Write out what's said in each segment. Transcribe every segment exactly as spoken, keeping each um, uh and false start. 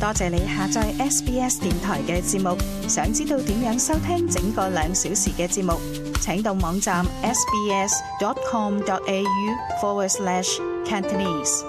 多謝你下載 S B S 電台嘅節目。想知道點樣收聽整個兩小時嘅節目，請到網站 sbs.com.au forward slash Cantonese。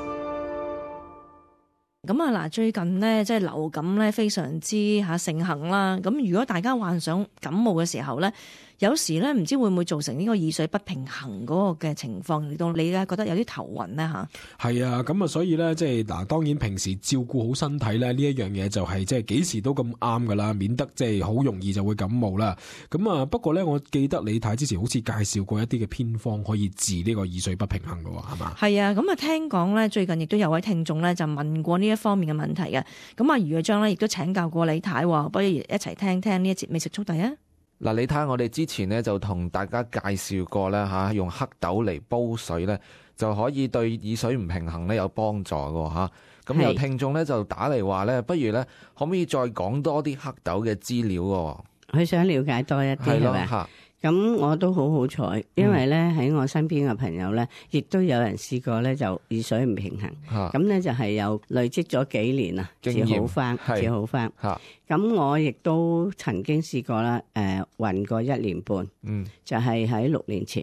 咁啊嗱，最近呢，即係流感咧非常之嚇盛行啦。咁如果大家患上感冒嘅時候咧，有時咧唔知會唔會造成呢個耳水不平衡嗰個嘅情況，令到你咧覺得有啲頭暈咧嚇。係啊，咁啊，所以咧即係嗱，當然平時照顧好身體咧呢一樣嘢就係即係幾時都咁啱噶啦，免得即係好容易就會感冒啦。咁啊，不過咧，我記得李太之前好似介紹過一啲嘅偏方可以治呢個耳水不平衡嘅喎，係嘛？係啊，咁啊聽講咧最近亦都有位聽眾咧就問過呢一方面嘅問題嘅。咁啊，余若章咧亦都請教過李太，不如一齊聽聽呢一節美食速遞啊！嗱，你睇下我哋之前咧就同大家介紹過咧嚇，用黑豆嚟煲水咧就可以對耳水唔平衡咧有幫助嘅嚇。咁有聽眾咧就打嚟話咧，不如咧可唔可以再講多啲黑豆嘅資料喎？佢想了解多一啲係咪？咁我都好好彩，因為咧喺我身邊嘅朋友咧，亦都有人試過咧就耳水唔平衡，咁咧就係有累積咗幾年啊，至好翻，至好翻。咁我亦都曾經試過啦，誒暈過一年半，嗯、就係喺六年前。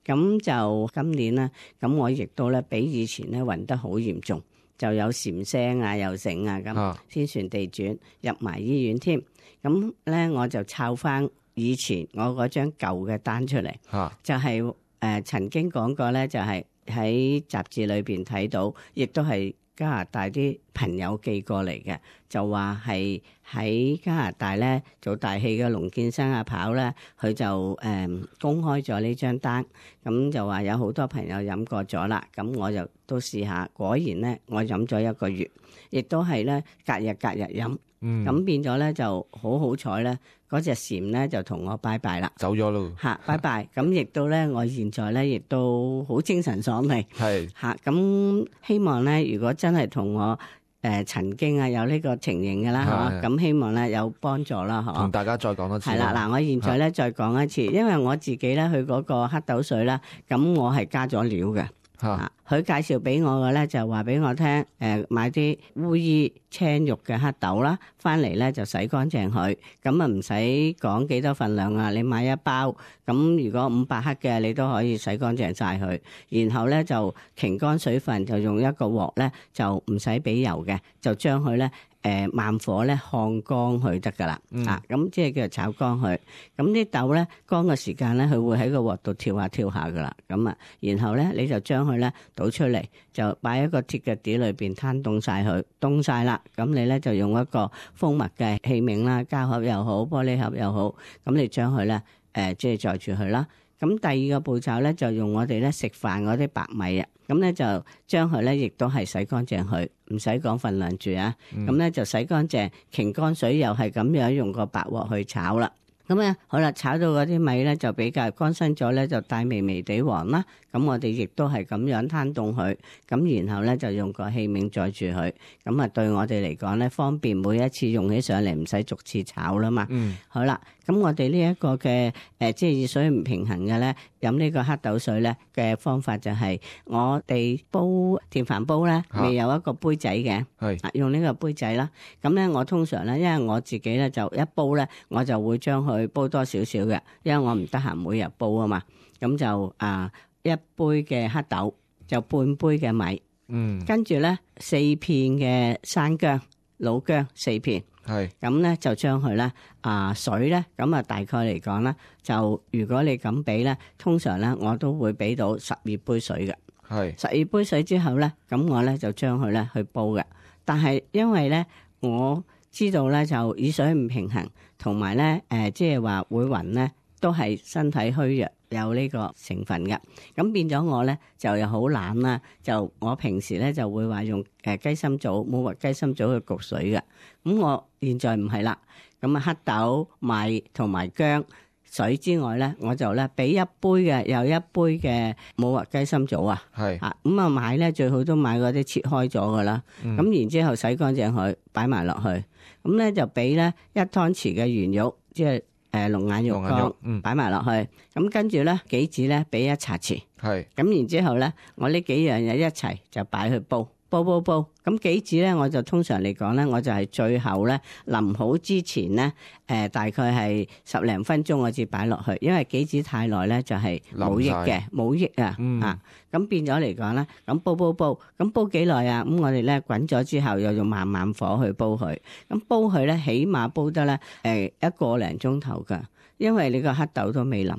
咁就今年咧，咁我亦都咧比以前咧暈得好嚴重，就有禪聲啊、又醒啊咁，天旋地轉，入埋醫院添。咁咧我就抄翻以前我嗰張舊嘅單出嚟，啊、就係、是、誒、呃、曾經講過咧，就係喺雜誌裏邊睇到，亦都係加拿大啲朋友寄過嚟嘅，就話係喺加拿大咧做大戲嘅龍建生阿跑咧，佢就誒、呃、公開咗呢張單，咁就話有好多朋友飲過咗啦，咁我就都試下，果然咧我飲咗一個月，亦都係咧隔日隔日飲，咁、嗯、變咗咧就好好彩咧。嗰隻蟬咧就同我拜拜啦，走咗咯嚇，拜拜。咁亦都咧，我現在咧亦都好精神爽利，係嚇。咁希望咧，如果真係同我誒、呃、曾經啊有呢個情形嘅啦，嚇，咁希望咧有幫助啦，嚇。同大家再講多次。係啦，嗱，我現在咧再講一次，因為我自己咧去嗰個黑豆水啦，咁我係加咗料嘅。啊！佢介紹俾我嘅咧就話俾我聽，誒、呃、買啲烏衣青肉嘅黑豆啦，翻嚟咧就洗乾淨佢，咁啊唔使講幾多份量啊，你買一包，咁如果五百克嘅你都可以洗乾淨晒佢，然後咧就擎乾水分，就用一個鑊咧就唔使俾油嘅，就將佢咧。誒、呃、慢火咧烘乾佢得㗎啦，嗯、啊咁即係叫做炒乾佢。咁啲豆咧乾嘅時間咧，佢會喺個鑊度跳下跳下㗎啦。咁啊，然後咧你就將佢咧倒出嚟，就擺喺個鐵嘅碟裏邊攤凍晒佢，凍晒啦。咁你咧就用一個封密嘅器皿啦，膠盒又好，玻璃盒又好，咁你將佢咧誒即係載住佢啦。咁第二個步驟咧就用我哋咧食飯嗰啲白米啊，咁咧就將佢咧亦都係洗乾淨佢，唔使講份量住啊。咁咧、嗯、就洗乾淨，擎乾水又係咁樣用個白鑊去炒啦。咁咧好啦，炒到嗰啲米咧就比較乾身咗咧，就帶微微地黃啦。咁我哋亦都係咁樣攤凍佢，咁然後咧就用個器皿載住佢，咁啊對我哋嚟講咧方便，每一次用起上嚟唔使逐次炒啦嘛。嗯，好啦，咁我哋呢一個嘅誒即係耳水唔平衡嘅咧，飲呢個黑豆水咧嘅方法就係我哋煲電飯煲咧，未有一個杯仔嘅，係、啊、用呢個杯仔啦。咁咧我通常咧，因為我自己咧就一煲咧，我就會將佢煲多少少嘅，因為我唔得閒每日煲啊嘛。咁就啊一杯嘅黑豆就半杯嘅米，嗯，跟住咧四片嘅生薑老薑四片，係咁咧就將佢咧啊水咧咁啊大概嚟講咧就如果你咁俾咧，通常咧我都會俾到十二杯水嘅，係十二杯水之後咧，咁我咧就將佢咧去煲嘅。但係因為咧我知道咧就耳水唔平衡，同埋咧誒即係話會暈咧，都係身體虛弱。有呢個成分嘅，咁變咗我咧就又好懶啦，就我平時咧就會話用誒雞心棗、冇核雞心棗去焗水嘅，咁我現在唔係啦，咁啊黑豆、米同埋薑水之外咧，我就咧俾一杯嘅又一杯嘅冇核雞心棗啊，係啊，咁啊買咧最好都買嗰啲切開咗噶啦，咁、嗯、然之後洗乾淨佢擺埋落去，咁咧就俾咧一湯匙嘅圓肉，即係。誒龍眼肉乾擺埋落去，咁、嗯、跟住咧杞子咧俾一茶匙，係咁然之後咧，我呢幾樣嘢一齊就擺去煲，煲煲煲，咁杞子咧，我就通常嚟講咧，我就係最後咧淋好之前咧，誒、呃、大概係十零分鐘我至擺落去，因為杞子太耐咧就係冇益嘅，冇益啊，嗯、啊，咁變咗嚟講咧，咁煲煲煲，咁煲幾耐啊？咁我哋咧滾咗之後，又用慢慢火去煲佢，咁煲佢咧起碼煲得咧誒一個零鐘頭㗎，因為你個黑豆都未腍。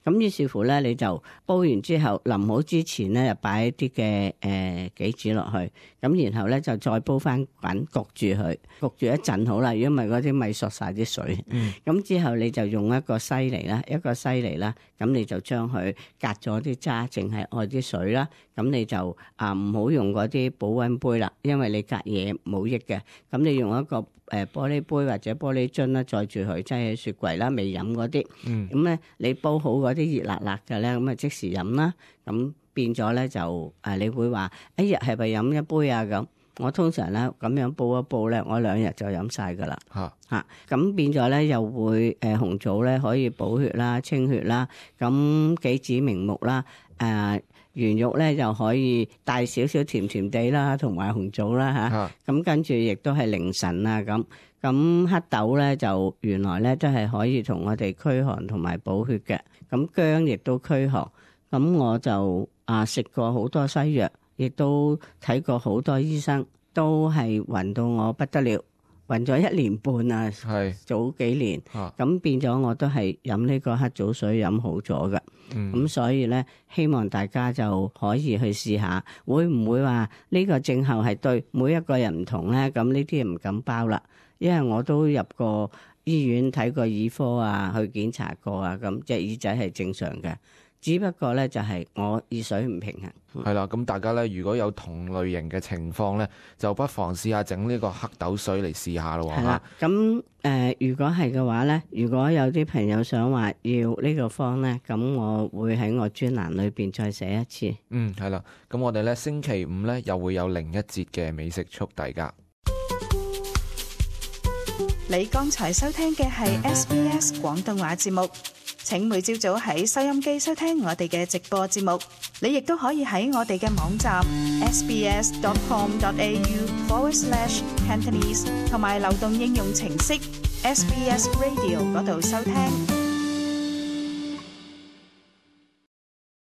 咁於是乎咧，你就煲完之後淋好之前咧，就擺一啲嘅誒杞子落去，咁然後咧就再煲翻滾，焗住佢，焗住一陣好啦。如果唔係嗰啲咪索晒啲水。咁、嗯、之後你就用一個犀利啦，一個犀利啦，咁你就將佢隔咗啲渣，淨係愛啲水啦。咁你就啊唔好用嗰啲保溫杯啦，因為你隔夜冇益嘅。咁你用一個誒玻璃杯或者玻璃樽啦，載住佢，擠喺雪櫃啦，未飲嗰啲。咁咧、嗯、你煲好嗰啲熱辣辣嘅咧，咁啊即時飲啦。咁變咗咧就誒，你會話一日係咪飲一杯啊？咁我通常咧咁樣煲一煲咧，我兩日就飲晒噶啦。嚇嚇咁變咗咧，又會誒紅棗咧可以補血啦、清血啦。咁杞子明目啦，誒。圓肉咧就可以帶少少甜甜地啦，同埋紅棗啦嚇。咁、啊、跟住亦都係凌晨啊咁。咁黑豆咧就原來咧都係可以同我哋驅寒同埋補血嘅。咁薑亦都驅寒。咁我就啊食過好多西藥，亦都睇過好多醫生，都係暈到我不得了。暈咗一年半啊，係早幾年，咁、啊、變咗我都係飲呢個黑棗水飲好咗㗎，咁、嗯、所以咧希望大家就可以去試下，會唔會話呢個症候係對每一個人唔同咧？咁呢啲唔敢包啦，因為我都入過醫院睇過耳科啊，去檢查過啊，咁隻耳仔係正常嘅。只不過咧就係我耳水唔平衡，係啦。咁大家咧如果有同類型嘅情況咧，就不妨試下整呢個黑豆水嚟試下咯。係啦，咁誒、呃，如果係嘅話咧，如果有啲朋友想話要呢個方咧，咁我會喺我專欄裏邊再寫一次。嗯，係啦。咁我哋咧星期五咧又會有另一節嘅美食速遞㗎。你剛才收聽嘅係 S B S 廣東話節目。請每朝早喺收音機收聽我哋嘅直播節目，你亦都可以喺我哋嘅網站 sbs.com.au forward slash Cantonese 同埋流動應用程式 S B S Radio 嗰度收聽。